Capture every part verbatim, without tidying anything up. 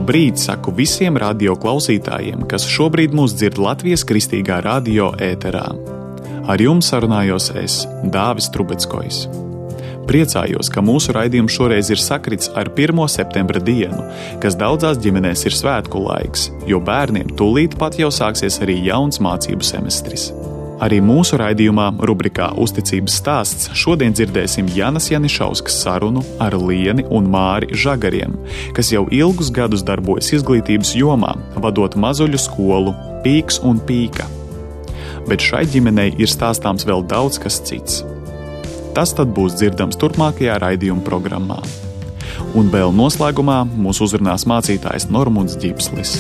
Labrīt saku visiem radio klausītājiem, kas šobrīd mūs dzird Latvijas Kristīgā radio ēterā. Ar jums sarunājos es, Dāvis Trubeckojs. Priecājos, ka mūsu raidījums šoreiz ir sakrits ar pirmo septembra dienu, kas daudzās ģimenēs ir svētku laiks, jo bērniem tūlīt pat jau sāksies arī jauns mācību semestris. Arī mūsu raidījumā rubrikā Uzticības stāsts šodien dzirdēsim Janas Janišauskas sarunu ar Lieni un Māri Žagariem, kas jau ilgus gadus darbojas izglītības jomā, vadot mazuļu skolu Pīks un Pīka. Bet šai ģimenei ir stāstāms vēl daudz kas cits. Tas tad būs dzirdams turpmākajā raidījuma programmā. Un vēl noslēgumā mūs uzrunās mācītājs Normunds Ģipslis.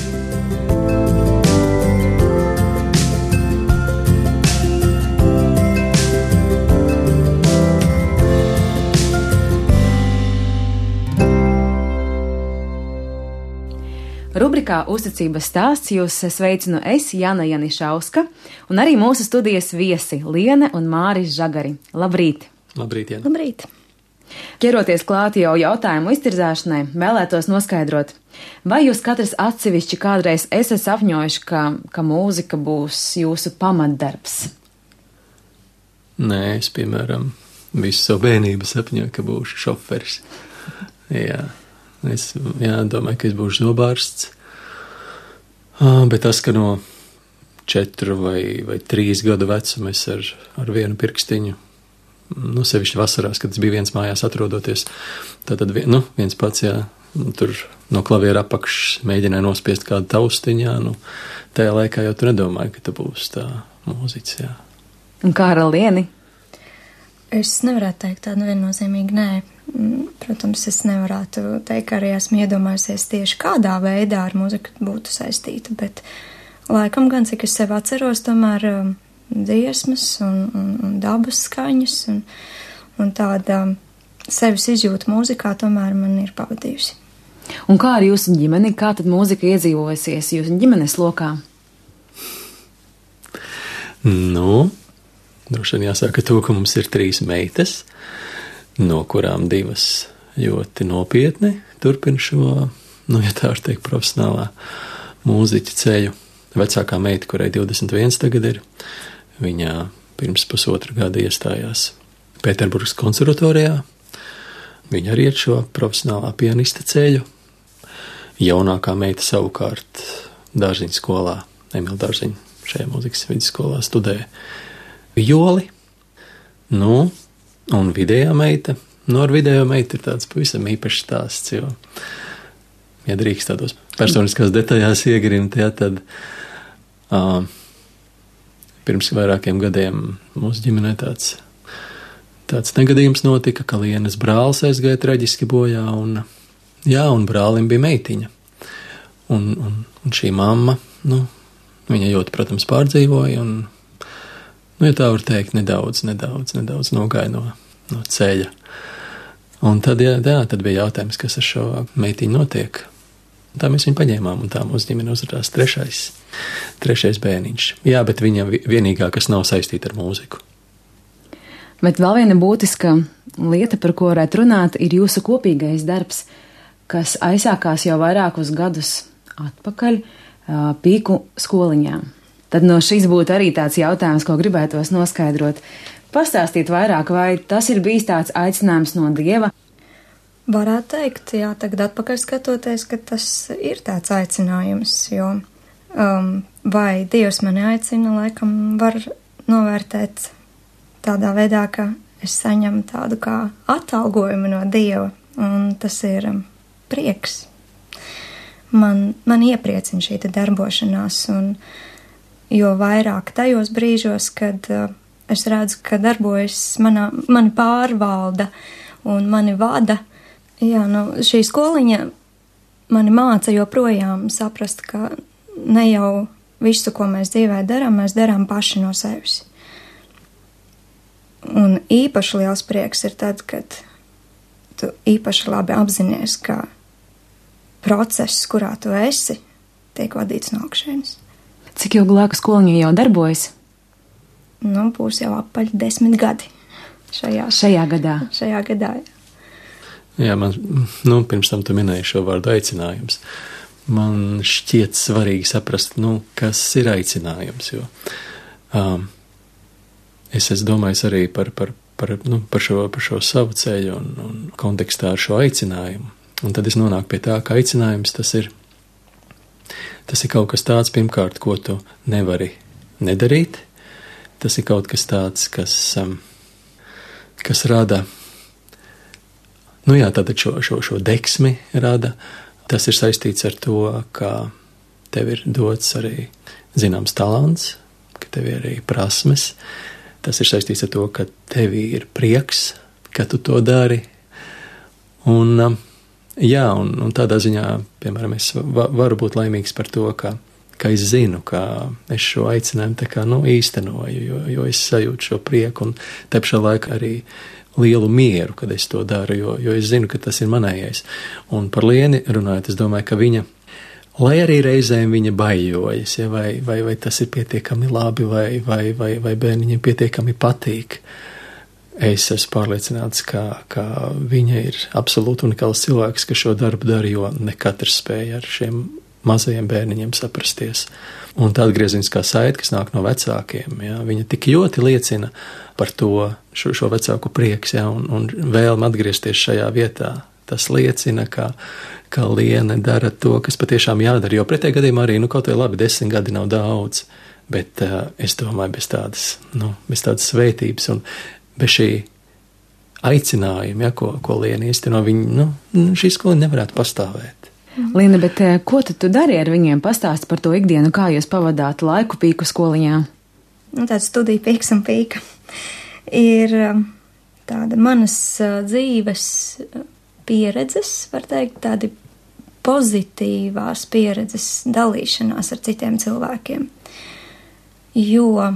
Rubrikā Uzticības stāsts jūs sveicinu es, Jana Janišauska, un arī mūsu studijas viesi Liene un Māris Žagari. Labrīt! Labrīt, Jana! Labrīt! Ķeroties klāt jau jautājumu iztirzāšanai, vēlētos noskaidrot, vai jūs katrs atsevišķi kādreiz esat sapņojuši, ka, ka mūzika būs jūsu pamatdarbs? Nē, es, piemēram, visu savu bērnību sapņoju, ka būšu šoferis. Jā. Es jā, domāju, ka es būšu zobārsts, bet tas, ka no četru vai, vai trīs gadu vecuma es ar, ar vienu pirkstiņu, nu, sevišķi vasarās, kad es biju viens mājās atrodoties, tātad nu, viens pats, jā, tur no klaviera apakšs mēģināja nospiest kādu taustiņu, jā, nu, tajā laikā jau tu nedomāji, ka tu būsi tā mūziķis, jā. Un kā ar Lieni? Es nevarētu teikt tādu viennozīmīgi nē. Protams, es nevarētu teikt, ka arī esmu iedomājusies tieši kādā veidā ar muziku būtu saistīta, bet laikam gan, cik es sev atceros, tomēr um, dziesmas un, un, un dabas skaņas un, un tāda sevis izjūta mūzikā tomēr man ir pavadījusi. Un kā ar jūsu ģimeni? Kā tad mūzika iedzīvojasies jūsu ģimenes lokā? Nu, droši vien jāsaka to, ka mums ir trīs meitas, no kurām divas ļoti nopietni turpina šo, nu, ja tā var teikt, profesionālā mūziķa ceļu. Vecākā meita, kurai divdesmit viens tagad ir, viņa pirms pusotra gada iestājās Pēterburgas konservatorijā. Viņa arī iet šo profesionālā pianista ceļu. Jaunākā meita savukārt Dārziņu skolā, Emila Dārziņu šajā mūzikas vidusskolā studē violi. Nu, un vidējā meita, nu ar vidējo meitu ir tāds pavisam īpašs stāsts, jo, ja drīkst tādos personiskās detaļās iegrimt, ja, tad uh, pirms vairākiem gadiem mūsu ģimenē tāds, tāds negadījums notika, ka Lienas brālis aizgāja traģiski bojā, un, jā, un brālim bija meitiņa. Un, un, un šī mamma, nu, viņa ļoti, protams, pārdzīvoja, un nu, ja tā var teikt, nedaudz, nedaudz, nedaudz nogāja no, no ceļa. Un tad, jā, jā, tad bija jautājums, kas ar šo meitiņu notiek. Tā mēs viņu paņēmām, un tā mūsu ģimene uzrādās trešais, trešais bērniņš. Jā, bet viņa vienīgā, kas nav saistīta ar mūziku. Bet vēl viena būtiska lieta, par ko varētu runāt, ir jūsu kopīgais darbs, kas aizsākās jau vairākus gadus atpakaļ Pīku skoliņā. Tad no šīs būtu arī tāds jautājums, ko gribētos noskaidrot. Pastāstīt vairāk, vai tas ir bijis tāds aicinājums no Dieva? Varētu teikt, jā, tagad atpakaļ skatoties, ka tas ir tāds aicinājums, jo um, vai Dievs mani aicina, laikam var novērtēt tādā veidā, ka es saņemu tādu kā atalgojumu no Dieva, un tas ir um, prieks. Man, man iepriecina šī darbošanās, un jo vairāk tajos brīžos, kad uh, es redzu, ka darbojas manā, mani pārvalda un mani vada, jā, nu, šī skoliņa mani māca joprojām saprast, ka ne jau visu, ko mēs dzīvē darām, mēs darām paši no sevis. Un īpaši liels prieks ir tad, kad tu īpaši labi apzinies, ka process, kurā tu esi, tiek vadīts no augšienes. Cik ilgu laiku skoliņa jau darbojas? Nu, būs jau apaļ desmit gadi šajā, šajā gadā. Šajā gadā, jā. Jā, man, nu, pirms tam tu minēji šo vārdu aicinājums. man šķiet svarīgi saprast, nu, kas ir aicinājums, jo um, es esmu domājis arī par, par, par, nu, par, šo, par šo savu ceļu un, un kontekstā ar šo aicinājumu. Un tad es nonāku pie tā, ka aicinājums tas ir, tas ir kaut kas tāds, pirmkārt, ko tu nevari nedarīt. Tas ir kaut kas tāds, kas, um, kas rada, nu jā, tātad šo, šo, šo deksmi rada. Tas ir saistīts ar to, ka tev ir dots arī zināms talants, ka tev ir arī prasmes. Tas ir saistīts ar to, ka tev ir prieks, ka tu to dari. Un, um, jā, un, un tādā ziņā, piemēram, es va, varu būt laimīgs par to, ka ka es zinu, ka es šo aicinājumu tā kā, nu, īstenoju, jo, jo es sajūtu šo prieku un te pašā laikā arī lielu mieru, kad es to daru, jo, jo es zinu, ka tas ir manējais. Un par Lieni runājot, es domāju, ka viņa, lai arī reizēm viņa baiļojas, ja, vai, vai, vai tas ir pietiekami labi, vai, vai, vai, vai bērniņiem pietiekami patīk, es esmu pārliecināts, ka, ka viņa ir absolūti unikāls cilvēks, ka šo darbu dara, jo ne katrs spēja ar šiem mazajiem bērniņiem saprasties. Un tā atgriezeniskā saite, kas nāk no vecākiem, ja, viņa tik ļoti liecina par to, šo, šo vecāku prieks, ja, un, un vēlme atgriezties šajā vietā. Tas liecina, ka, ka Liene dara to, kas patiešām jādara, jo pretējā gadījumā arī, nu, kaut vai labi, desmit gadi nav daudz, bet uh, es domāju, bez tādas, nu, bez tādas svētības un bez šī aicinājuma, ja, ko, ko Liene īsteno, viņa, nu, šī skola nevarētu pastāvēt. Liena, bet ko tad tu dari ar viņiem? Pastāsti par to ikdienu, kā jūs pavadāt laiku Pīku skoliņā? Nu, tāda studija Pīks un Pīka ir tāda manas dzīves pieredzes, var teikt, tādi pozitīvās pieredzes dalīšanās ar citiem cilvēkiem. Jo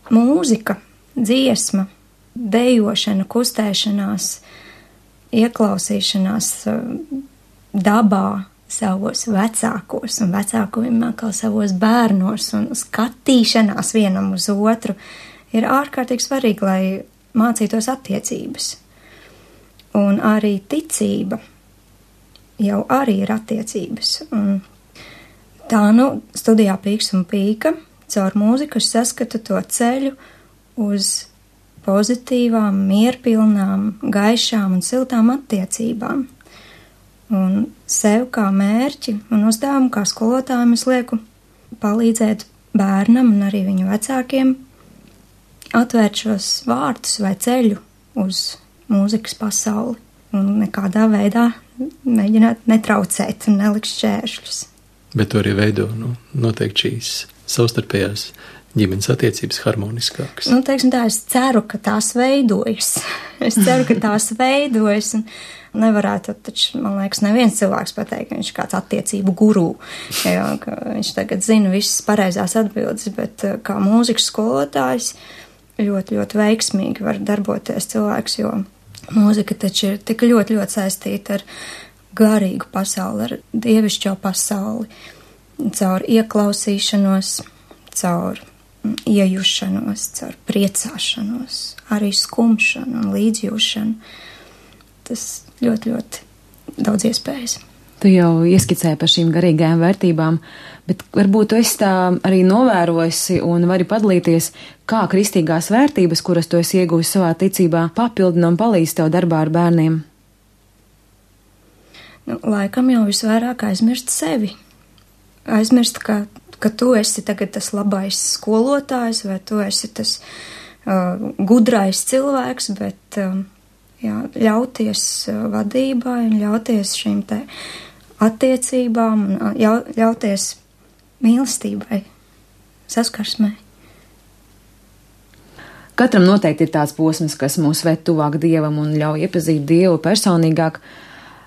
mūzika, dziesma, dejošana, kustēšanās, ieklausīšanās dabā, savos vecākos un vecākiem atkal savos bērnos un skatīšanās vienam uz otru ir ārkārtīgi svarīgi, lai mācītos attiecības. Un arī ticība jau arī ir attiecības. Un tā, nu, studijā Pīks un Pīka caur mūziku es saskatu to ceļu uz pozitīvām, mierpilnām, gaišām un siltām attiecībām. Un sev kā mērķi un uzdevumu kā skolotājiem es lieku palīdzēt bērnam un arī viņu vecākiem atvērt šos vārtus vai ceļu uz mūzikas pasauli un nekādā veidā mēģināt netraucēt un nelikt šķēršļus. Bet to arī veido, nu, noteikti šīs savstarpējās ģimenes attiecības harmoniskākas. Nu, teiksim tā, es ceru, ka tās veidojas. Es ceru, ka tās veidojas un nevarētu, taču, man liekas, neviens cilvēks pateikt, ka viņš ir kāds attiecību gurū, jo, ka viņš tagad zina visas pareizās atbildes, bet kā mūzikas skolotājs ļoti, ļoti veiksmīgi var darboties cilvēks, jo mūzika taču ir tik ļoti, ļoti saistīta ar garīgu pasauli, ar dievišķo pasauli, caur ieklausīšanos, caur iejušanos, caur priecāšanos, arī skumšanu un līdzjūšanu. Tas ļoti, ļoti daudz iespējas. Tu jau ieskicēji par šīm garīgajām vērtībām, bet varbūt tu esi tā arī novērojusi un vari padalīties, kā kristīgās vērtības, kuras tu esi iegūsi savā ticībā, papildina un palīdz tev darbā ar bērniem. Nu, laikam jau visvairāk aizmirst sevi. Aizmirst, ka, ka tu esi tagad tas labais skolotājs vai tu esi tas uh, gudrais cilvēks, bet uh, jā, ļauties uh, vadībai un ļauties šīm te attiecībām un uh, jau, ļauties mīlestībai, saskarsmai. Katram noteikti ir tāds posms, kas mūs ved tuvāk Dievam un ļauj iepazīt Dievu personīgāk,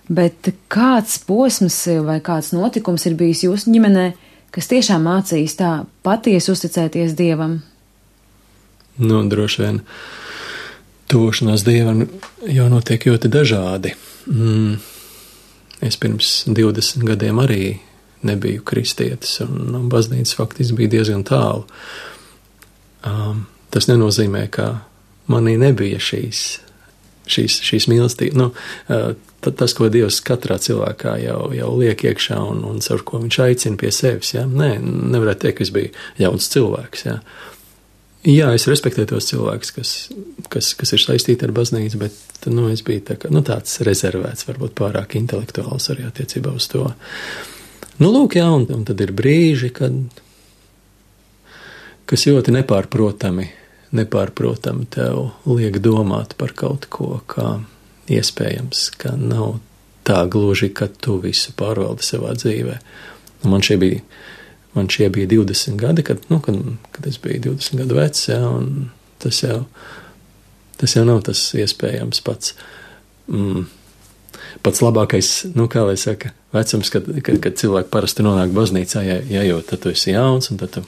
bet kāds posms vai kāds notikums ir bijis jūsu ģimenē, kas tiešām mācīs tā patiesi uzticēties Dievam? Nu, droši vien tuvošanās Dievam jau notiek ļoti dažādi. Mm. Es pirms divdesmit gadiem arī nebiju kristietis, un no baznīcas faktiski bija diezgan tālu. Um, tas nenozīmē, ka manī nebija šīs, šīs, šīs mīlestības. Nu, uh, tas, ko Dievs katrā cilvēkā jau, jau liek iekšā un, un caur ko viņš aicina pie sevis. Ja? Nē, nevarētu teikt, ka es biju jauns cilvēks. Ja? Jā, es respektēju tos cilvēkus, kas, kas, kas ir saistīti ar baznīcu, bet nu, es biju tā kā, nu, tāds rezervēts, varbūt pārāk intelektuāls arī attiecībā uz to. Nu, lūk, jā, un, un tad ir brīži, kad, kas ļoti nepārprotami, nepārprotami tev liek domāt par kaut ko, kā iespējams, ka nav tā gluži, ka tu visu pārvaldi savā dzīvē. Un man šie bija Man šie bija divdesmit gadi, kad, nu, kad, kad es biju divdesmit gadu vecs, ja, un tas jau, tas jau nav tas iespējams pats, mm, pats labākais, nu, kā lai saka, vecums, kad, kad, kad cilvēki parasti nonāk baznīcā, ja, ja jo tad tu esi jauns, un tad tu,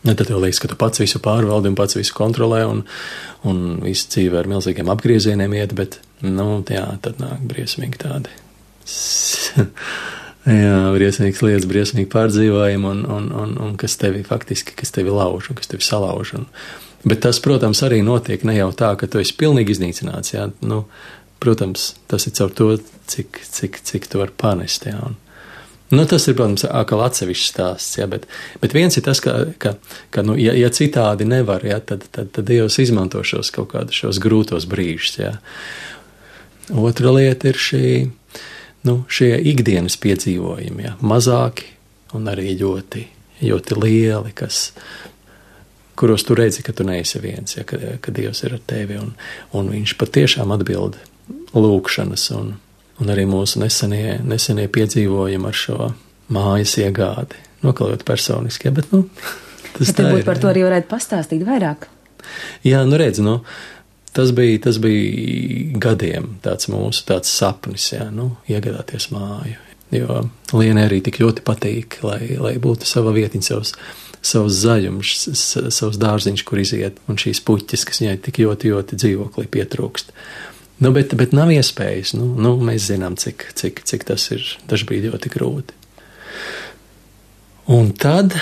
ja, tad tev liekas, ka tu pats visu pārvaldi un pats visu kontrolē, un, un visu dzīve ar milzīgiem apgriezieniem iet, bet, nu, jā, tad nāk briesmīgi tādi. Jā, briesmīgas lietas, briesmīgi pārdzīvojumi, un, un, un, un kas tevi faktiski, kas tevi lauž un kas tevi salauž. Un, bet tas, protams, arī notiek ne jau tā, ka tu esi pilnīgi iznīcināts. Jā. Nu, protams, tas ir caur to, cik, cik, cik tu vari panest. Jā. Un, nu, tas ir, protams, atkal atsevišķs stāsts. Jā, bet, bet viens ir tas, ka, ka, ka nu, ja, ja citādi nevar, jā, tad, tad, tad Dievs izmanto šos kaut kādus šos grūtos brīžus. Jā. Otra lieta ir šī. Nu, šie ikdienas piedzīvojumi, ja, mazāki un arī ļoti, ļoti lieli, kas, kuros tu redzi, ka tu neesi viens, ja, ka, ka Dievs ir ar tevi, un, un viņš patiešām atbild lūkšanas, un, un arī mūsu nesenie, nesenie piedzīvojumi ar šo mājas iegādi, nokalot personiski, ja, bet, nu, tas bet tā ir. Bet par to arī varētu pastāstīt vairāk. Jā, nu redz, nu, Tas bija, tas bija gadiem tāds mūsu tāds sapnis, jā, nu, iegādāties māju. Jo Lienai arī tik ļoti patīk, lai, lai būtu sava vietiņa, savs, savs zaļums, savs dārziņš, kur iziet, un šīs puķis, kas viņai tik ļoti, ļoti dzīvoklī pietrūkst. Nu, bet, bet nav iespējas, nu, nu mēs zinām, cik, cik, cik tas ir, tas bija ļoti grūti. Un tad,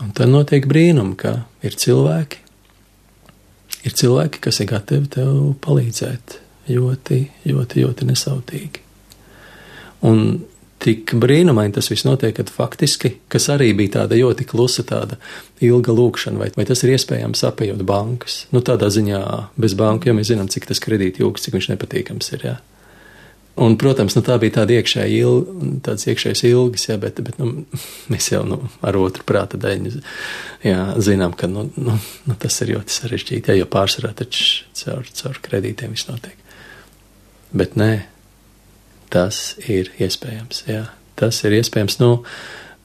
un tad notiek brīnumi, ka ir cilvēki, Ir cilvēki, kas ir gatavi tev palīdzēt ļoti, ļoti, ļoti nesautīgi. Un tik brīnumaini tas viss notiek, kad faktiski, kas arī bija tāda ļoti klusa, tāda ilga lūkšana, vai, vai tas ir iespējams apējot bankas. Nu, tādā ziņā bez banku, jo mēs zinām, cik tas kredīti jūgs, cik viņš nepatīkams ir, jā. Un, protams, nu, tā bija tāda iekšēja ilga, tāds iekšējais ilgas, jā, bet, bet nu, mēs jau nu, ar otru prāta daļu jā, zinām, ka nu, nu, nu, tas ir ļoti sarežģīti, jā, jo pārsvarā taču caur, caur kredītiem viss notiek. Bet nē, tas ir iespējams, jā, tas ir iespējams. Nu,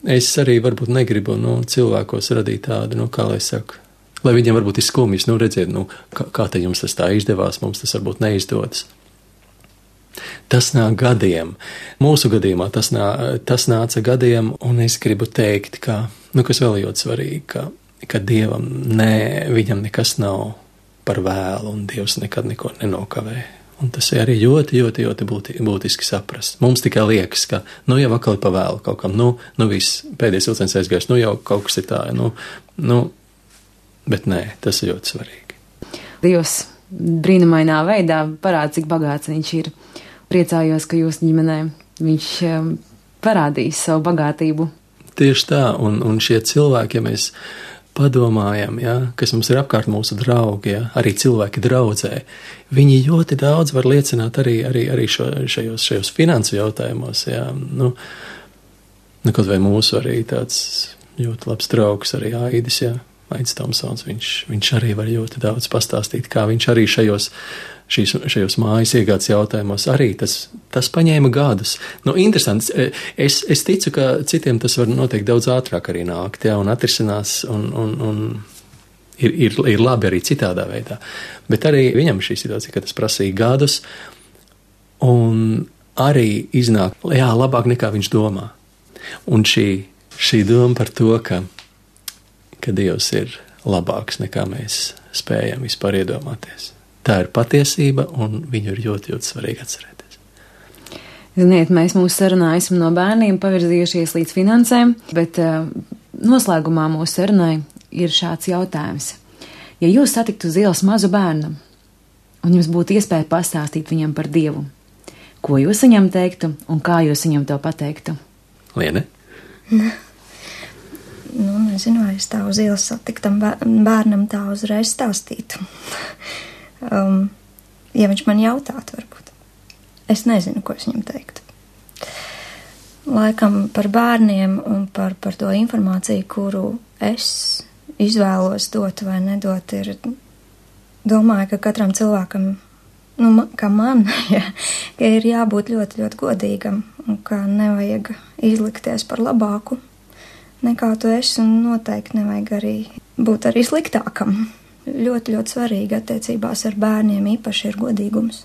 es arī varbūt negribu nu, cilvēkos radīt tādu, nu, kā lai saku, lai viņiem varbūt ir skumjas, nu, redziet, nu, kā, kā te jums tas tā izdevās, mums tas varbūt neizdodas. Tas nāk gadiem. Mūsu gadījumā tas, nā, tas nāca gadiem, un es gribu teikt, ka, nu, kas vēl ļoti svarīgi, ka, ka Dievam ne, viņam nekas nav par vēlu, un Dievs nekad neko nenokavē. Un tas ir arī ļoti, ļoti, ļoti būti, būtiski saprast. Mums tikai liekas, ka, nu, jau atkal ir pa vēlu kaut kam, nu, nu, viss, pēdējais vilciens aizgājis, nu, jau kaut kas ir tā, nu, nu, bet nē, tas ir ļoti svarīgi. Dievs brīnumainā veidā parāda, cik bagāts viņš ir. Priecājos, ka jūsu ģimenē viņš parādīs savu bagātību. Tieši tā, un, un šie cilvēki, ja mēs padomājam, ja, kas mums ir apkārt mūsu draugi, ja, arī cilvēki draudzē, viņi ļoti daudz var liecināt arī, arī, arī šo, šajos, šajos finansu jautājumos. Ja, nu, nu, kaut vai mūsu arī tāds ļoti labs draugs, arī Aidis, ja, Aidis Tomsons, viņš, viņš arī var ļoti daudz pastāstīt, kā viņš arī šajos Šīs, šajos mājas iegādes jautājumos arī tas, tas paņēma gadus. Nu, interesants. Es, es ticu, ka citiem tas var noteikti daudz ātrāk arī nākt, jā, un atrisinās, un, un, un ir, ir, ir labi arī citādā veidā. Bet arī viņam šī situācija, ka tas prasīja gadus, un arī iznāk, jā, labāk nekā viņš domā. Un šī, šī doma par to, ka, ka Dievs ir labāks nekā mēs spējam vispār iedomāties. Tā ir patiesība, un viņu ir ļoti, ļoti svarīgi atcerēties. Ziniet, mēs mūsu sarunā esam no bērniem pavirzījušies līdz finansēm, bet uh, noslēgumā mūsu sarunai ir šāds jautājums. Ja jūs satiktu uz ielas mazu bērnu, un jums būtu iespēja pastāstīt viņam par Dievu, ko jūs viņam teiktu un kā jūs viņam to pateiktu? Liene? Nu, nezinu, vai es tā uz ielas satiktam bērnam tā uzreiz stāstītu. um, ja viņš man jautātu, varbūt. Es nezinu, ko es viņam teiktu. Laikam par bērniem un par, par to informāciju, kuru es izvēlos dot vai nedot, ir, domāju, ka katram cilvēkam, nu, kā man, ja, ka ir jābūt ļoti, ļoti godīgam un ka nevajag izlikties par labāku nekā tu esi, un noteikti nevajag arī būt arī sliktākam. Ļoti, ļoti svarīgi attiecībās ar bērniem īpaši ir godīgums.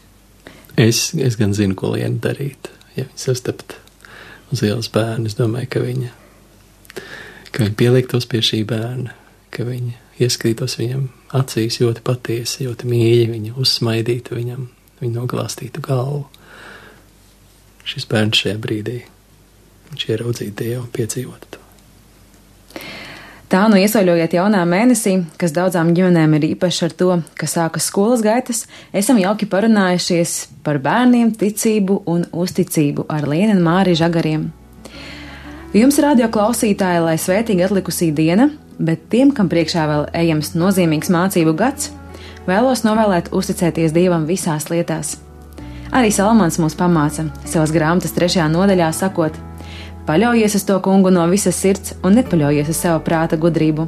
Es, es gan zinu, ko Liena darīt. Ja viņa sastapt uz ielas bērnu, es domāju, ka viņa, ka viņa pieliktos pie šī bērna, ka viņa ieskrītos viņam acīs ļoti patiesi, ļoti mīļi, viņa uzsmaidītu viņam, viņa noglāstītu galvu. Šis bērns šajā brīdī, viņš ieraudzītu Dievu un piedzīvotu to. Tā nu iesaļojiet jaunā mēnesī, kas daudzām ģimenēm ir īpaši ar to, ka sākas skolas gaitas, esam jauki parunājušies par bērniem, ticību un uzticību ar Lienu un Māri Žagariem. Jums, radio klausītāji, lai svētīgi atlikusī diena, bet tiem, kam priekšā vēl ejams nozīmīgs mācību gads, vēlos novēlēt uzticēties Dievam visās lietās. Arī Salamans mūs pamāca savas grāmatas trešajā nodaļā sakot: paļaujies uz to kungu no visas sirds un nepaļaujies uz savu prāta gudrību,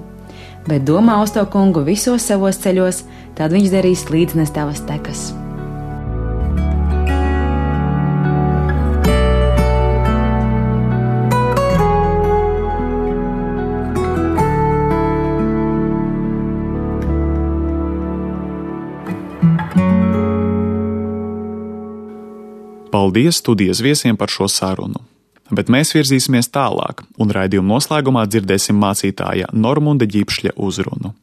bet domā uz to kungu visos savos ceļos, tad viņš darīs līdznes tavas tekas. Paldies studijas viesiem par šo sarunu. Bet mēs virzīsimies tālāk, un raidījuma noslēgumā dzirdēsim mācītāja Normunda Ģipšļa uzrunu.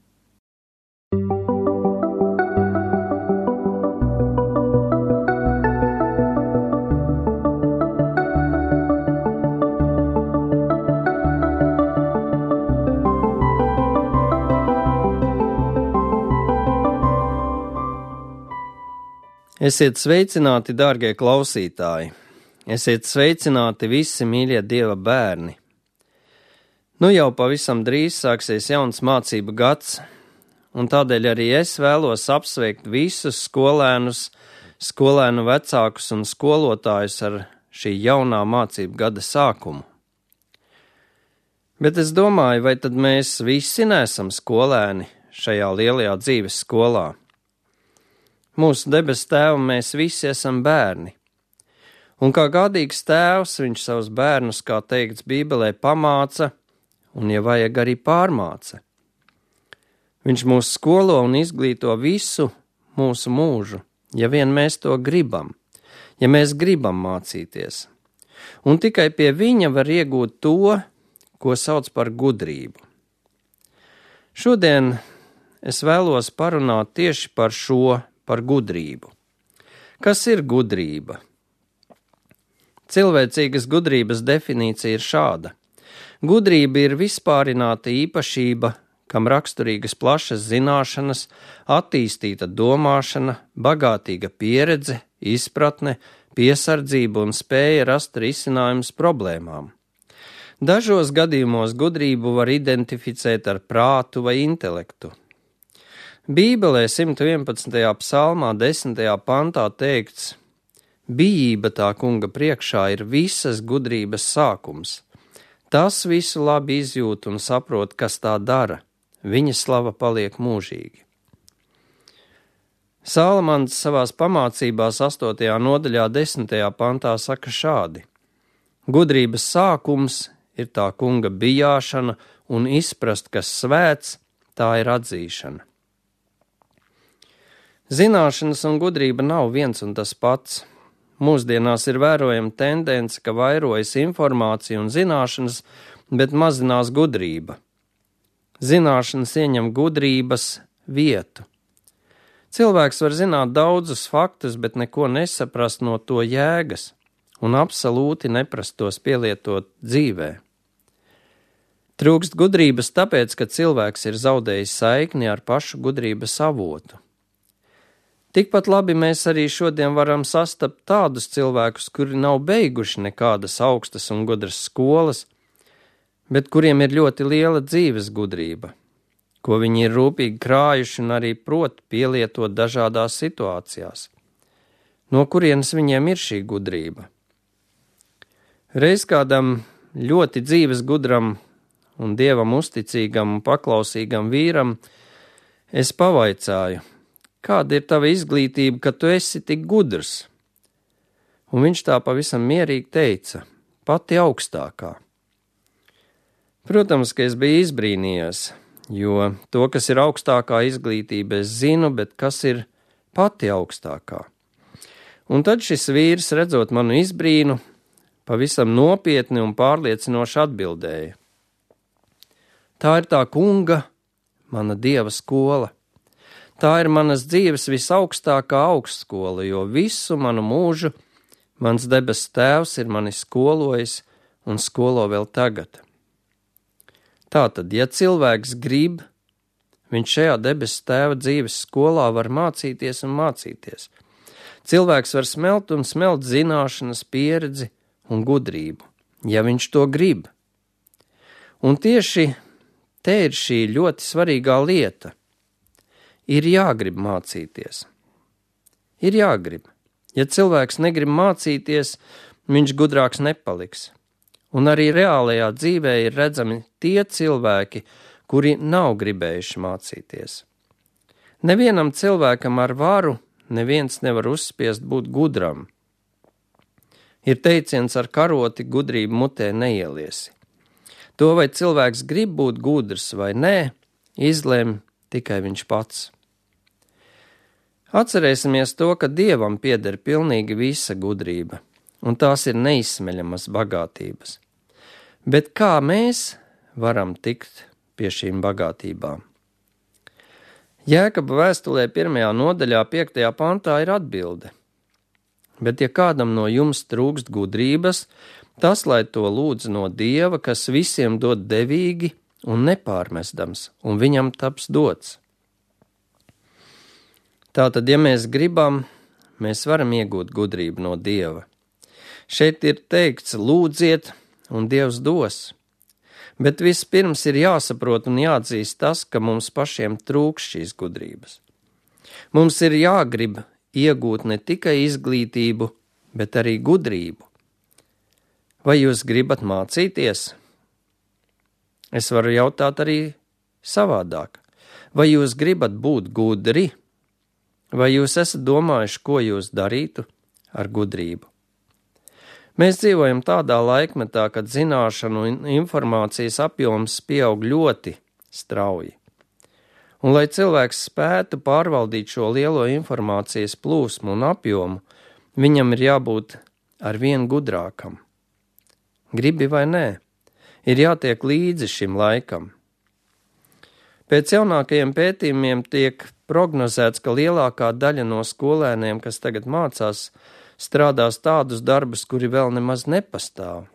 Esiet sveicināti, dārgie klausītāji! Esiet sveicināti visi mīļie Dieva bērni! Nu jau pavisam drīz sāksies jauns mācību gads, un tādēļ arī es vēlos apsveikt visus skolēnus, skolēnu vecākus un skolotājus ar šī jaunā mācību gada sākumu. Bet es domāju, vai tad mēs visi neesam skolēni šajā lielajā dzīves skolā? Mūsu debes tēvam mēs visi esam bērni. Un kā gādīgs tēvs, viņš savus bērnus, kā teikts Bībelē, pamāca un, ja vajag, arī pārmāca. Viņš mūs skolo un izglīto visu mūsu mūžu, ja vien mēs to gribam, ja mēs gribam mācīties. Un tikai pie viņa var iegūt to, ko sauc par gudrību. Šodien es vēlos parunāt tieši par šo, par gudrību. Kas ir gudrība? Cilvēcīgas gudrības definīcija ir šāda. Gudrība ir vispārināta īpašība, kam raksturīgas plašas zināšanas, attīstīta domāšana, bagātīga pieredze, izpratne, piesardzība un spēja rast risinājumus problēmām. Dažos gadījumos gudrību var identificēt ar prātu vai intelektu. Bībelē simt vienpadsmitajā psalmā desmitajā pantā teikts: bijība tā kunga priekšā ir visas gudrības sākums. Tas visu labi izjūt un saprot, kas tā dara. Viņa slava paliek mūžīgi. Salamans savās pamācībās astotajā nodaļā desmitajā pantā saka šādi: gudrības sākums ir tā kunga bijāšana un izprast, kas svēts, tā ir atzīšana. Zināšanas un gudrība nav viens un tas pats. Mūsdienās ir vērojama tendence, ka vairojas informācija un zināšanas, bet mazinās gudrība. Zināšanas ieņem gudrības vietu. Cilvēks var zināt daudzus faktus, bet neko nesaprast no to jēgas un absolūti neprast tos pielietot dzīvē. Trūkst gudrības tāpēc, ka cilvēks ir zaudējis saikni ar pašu gudrības avotu. Tikpat labi mēs arī šodien varam sastapt tādus cilvēkus, kuri nav beiguši nekādas augstas un gudras skolas, bet kuriem ir ļoti liela dzīves gudrība, ko viņi ir rūpīgi krājuši un arī prot pielietot dažādās situācijās. No kurienes viņiem ir šī gudrība? Reiz kādam ļoti dzīves gudram un Dievam uzticīgam un paklausīgam vīram es pavaicāju, kāda ir tava izglītība, ka tu esi tik gudrs? Un viņš tā pavisam mierīgi teica, pati augstākā. Protams, ka es biju izbrīnījies, jo to, kas ir augstākā izglītība, es zinu, bet kas ir pati augstākā. Un tad šis vīrs, redzot manu izbrīnu, pavisam nopietni un pārliecinoši atbildēja. Tā ir tā kunga, mana Dieva skola. Tā ir manas dzīves visaugstākā augstskola, jo visu manu mūžu mans debes tēvs ir mani skolojis un skolo vēl tagad. Tātad, ja cilvēks grib, viņš šajā debes tēva dzīves skolā var mācīties un mācīties. Cilvēks var smelt un smelt zināšanas, pieredzi un gudrību, ja viņš to grib. Un tieši te ir šī ļoti svarīgā lieta. Ir jāgrib mācīties. Ir jāgrib. Ja cilvēks negrib mācīties, viņš gudrāks nepaliks. Un arī reālajā dzīvē ir redzami tie cilvēki, kuri nav gribējuši mācīties. Nevienam cilvēkam ar varu neviens nevar uzspiest būt gudram. Ir teiciens ar karoti gudrību mutē neieliesi. To, vai cilvēks grib būt gudrs vai nē, izlem tikai viņš pats. Atcerēsimies to, ka Dievam pieder pilnīgi visa gudrība, un tās ir neizsmeļamas bagātības. Bet kā mēs varam tikt pie šīm bagātībām? Jēkaba vēstulē pirmajā nodaļā piektajā pantā ir atbilde. Bet ja kādam no jums trūkst gudrības, tas, lai to lūdz no Dieva, kas visiem dod devīgi un nepārmestams, un viņam taps dots. Tātad, ja mēs gribam, mēs varam iegūt gudrību no Dieva. Šeit ir teikts, lūdziet, un Dievs dos. Bet vispirms ir jāsaprot un jāatzīst tas, ka mums pašiem trūks šīs gudrības. Mums ir jāgrib iegūt ne tikai izglītību, bet arī gudrību. Vai jūs gribat mācīties? Es varu jautāt arī savādāk. Vai jūs gribat būt gudri? Vai jūs esat domājuši, ko jūs darītu ar gudrību? Mēs dzīvojam tādā laikmetā, kad zināšanu un informācijas apjoms pieaug ļoti strauji. Un, lai cilvēks spētu pārvaldīt šo lielo informācijas plūsmu un apjomu, viņam ir jābūt ar vien gudrākam. Gribi vai nē, ir jātiek līdzi šim laikam. Pēc jaunākajiem pētījumiem tiek prognozēts, ka lielākā daļa no skolēniem, kas tagad mācās, strādās tādus darbus, kuri vēl nemaz nepastāv.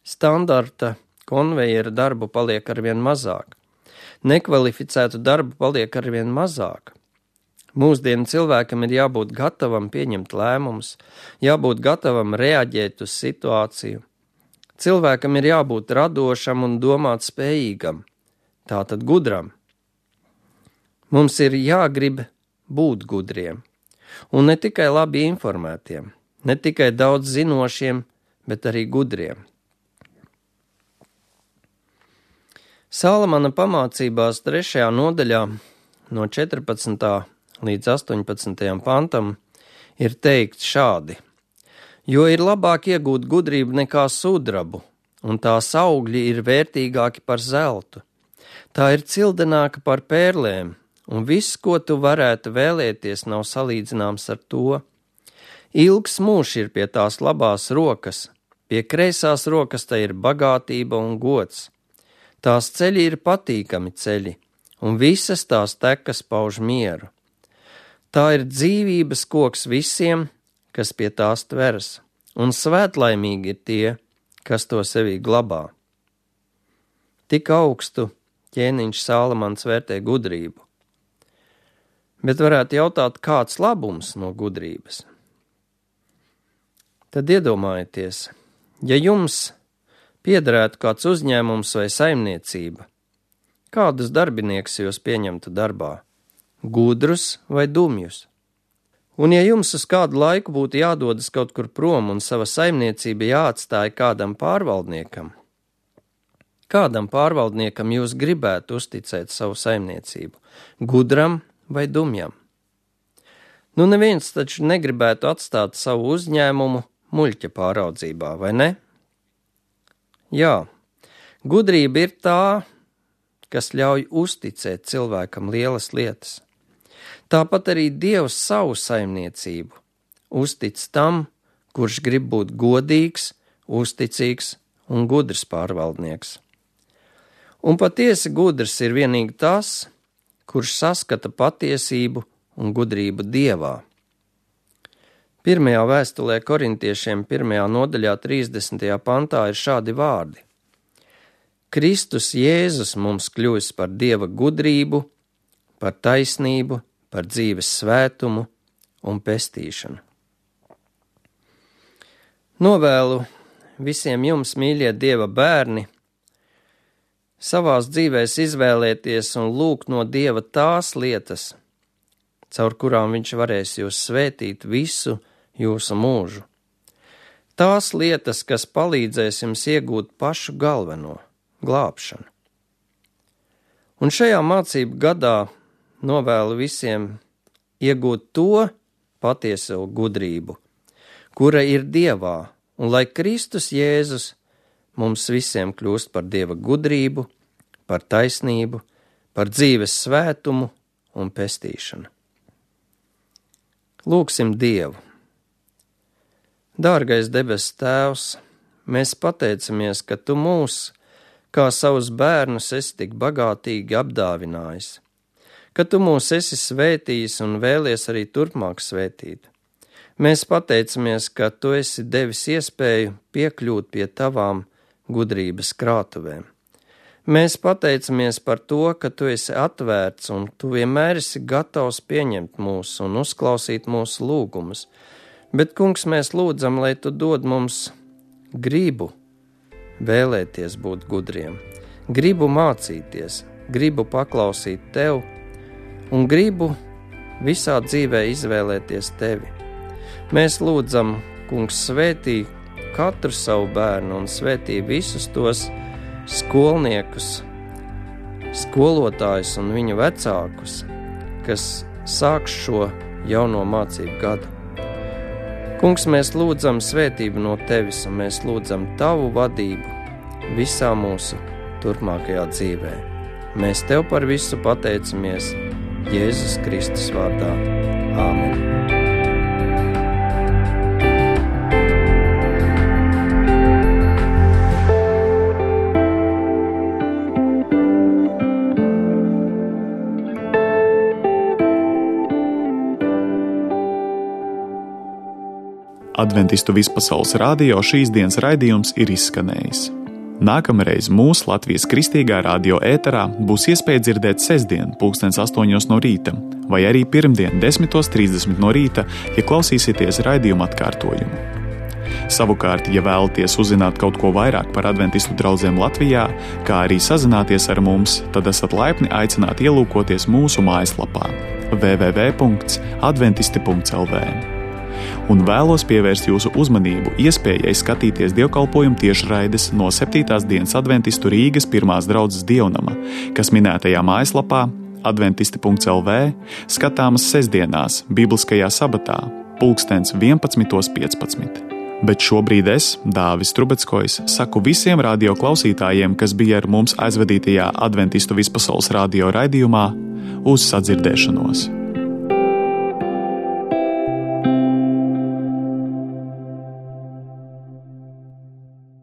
Standarta konvejera darbu paliek arvien mazāk. Nekvalificētu darbu paliek arvien mazāk. Mūsdienu cilvēkam ir jābūt gatavam pieņemt lēmumus, jābūt gatavam reaģēt uz situāciju. Cilvēkam ir jābūt radošam un domāt spējīgam, tātad gudram. Mums ir jāgrib būt gudriem, un ne tikai labi informētiem, ne tikai daudz zinošiem, bet arī gudriem. Salamana pamācībās trešajā nodaļā no četrpadsmitā līdz astoņpadsmitajam pantam ir teikts šādi: jo ir labāk iegūt gudrību nekā sudrabu, un tās augļi ir vērtīgāki par zeltu. Tā ir cildenāka par pērlēm, un viss, ko tu varētu vēlēties, nav salīdzināms ar to. Ilgs mūžs ir pie tās labās rokas, pie kreisās rokas tai ir bagātība un gods. Tās ceļi ir patīkami ceļi, un visas tās tekas pauž mieru. Tā ir dzīvības koks visiem, kas pie tās tveras, un svētlaimīgi ir tie, kas to sevī glabā. Tik augstu ķēniņš Salamans vērtē gudrību. Bet varētu jautāt, kāds labums no gudrības? Tad iedomājieties, ja jums piederētu kāds uzņēmums vai saimniecība, kādus darbinieks jūs pieņemtu darbā? Gudrus vai dumjus? Un ja jums uz kādu laiku būtu jādodas kaut kur prom un sava saimniecība jāatstāja kādam pārvaldniekam, kādam pārvaldniekam jūs gribētu uzticēt savu saimniecību? Gudram vai dumjam? Nu, neviens taču negribētu atstāt savu uzņēmumu muļķa pāraudzībā, vai ne? Jā, gudrība ir tā, kas ļauj uzticēt cilvēkam lielas lietas. Tāpat arī Dievs savu saimniecību uztic tam, kurš grib būt godīgs, uzticīgs un gudrs pārvaldnieks. Un patiesi gudrs ir vienīgi tas, kurš saskata patiesību un gudrību Dievā. Pirmajā vēstulē korintiešiem pirmajā nodaļā trīsdesmitajā pantā ir šādi vārdi. Kristus Jēzus mums kļūs par Dieva gudrību, par taisnību, par dzīves svētumu un pestīšanu. Novēlu visiem jums, mīļie Dieva bērni, savās dzīvēs izvēlēties un lūgt no Dieva tās lietas, caur kurām viņš varēs jūs svētīt visu jūsu mūžu. Tās lietas, kas palīdzēs jums iegūt pašu galveno glābšanu. Un šajā mācību gadā novēlu visiem iegūt to patieso gudrību, kura ir Dievā, un lai Kristus Jēzus mums visiem kļūst par Dieva gudrību, par taisnību, par dzīves svētumu un pestīšanu. Lūgsim Dievu. Dārgais debes Tēvs, mēs pateicamies, ka Tu mūs, kā savus bērnus, esi tik bagātīgi apdāvinājis, ka Tu mūs esi svētījis un vēlies arī turpmāk svētīt. Mēs pateicamies, ka Tu esi devis iespēju piekļūt pie Tavām gudrības krātuvēm. Mēs pateicamies par to, ka Tu esi atvērts un Tu vienmēr esi gatavs pieņemt mūs un uzklausīt mūsu lūgumus. Bet, Kungs, mēs lūdzam, lai Tu dod mums gribu vēlēties būt gudriem, gribu mācīties, gribu paklausīt Tev un gribu visā dzīvē izvēlēties Tevi. Mēs lūdzam, Kungs, svētī katru savu bērnu un svētī visus tos skolniekus, skolotājus un viņu vecākus, kas sāks šo jauno mācību gadu. Kungs, mēs lūdzam svētību no Tevis un mēs lūdzam Tavu vadību visā mūsu turpmākajā dzīvē. Mēs Tev par visu pateicamies Jēzus Kristus vārdā. Āmen. Adventistu vispasaules radio šīs dienas raidījums ir izskanējis. Nākamreiz mūsu Latvijas Kristīgā radio ēterā būs iespēja dzirdēt sestdien pulkstens astoņos no rīta, vai arī pirmdien desmitos trīsdesmit no rīta, ja klausīsieties raidījuma atkārtojumu. Savukārt, ja vēlaties uzzināt kaut ko vairāk par adventistu draudzēm Latvijā, kā arī sazināties ar mums, tad esat laipni aicināti ielūkoties mūsu mājaslapā w w w punkts adventisti punkts l v. Un vēlos pievērst jūsu uzmanību iespējai skatīties dievkalpojumu tiešraides no septītās dienas adventistu Rīgas pirmās draudzes dievnama, kas minētajā mājaslapā adventisti punkts l v skatāmas sestdienās, bibliskajā sabatā, pulkstens vienpadsmitos piecpadsmit. Bet šobrīd es, Dāvis Trubeckojs, saku visiem radio klausītājiem, kas bija ar mums aizvadītajā adventistu vispasaules radio raidījumā, uz sadzirdēšanos.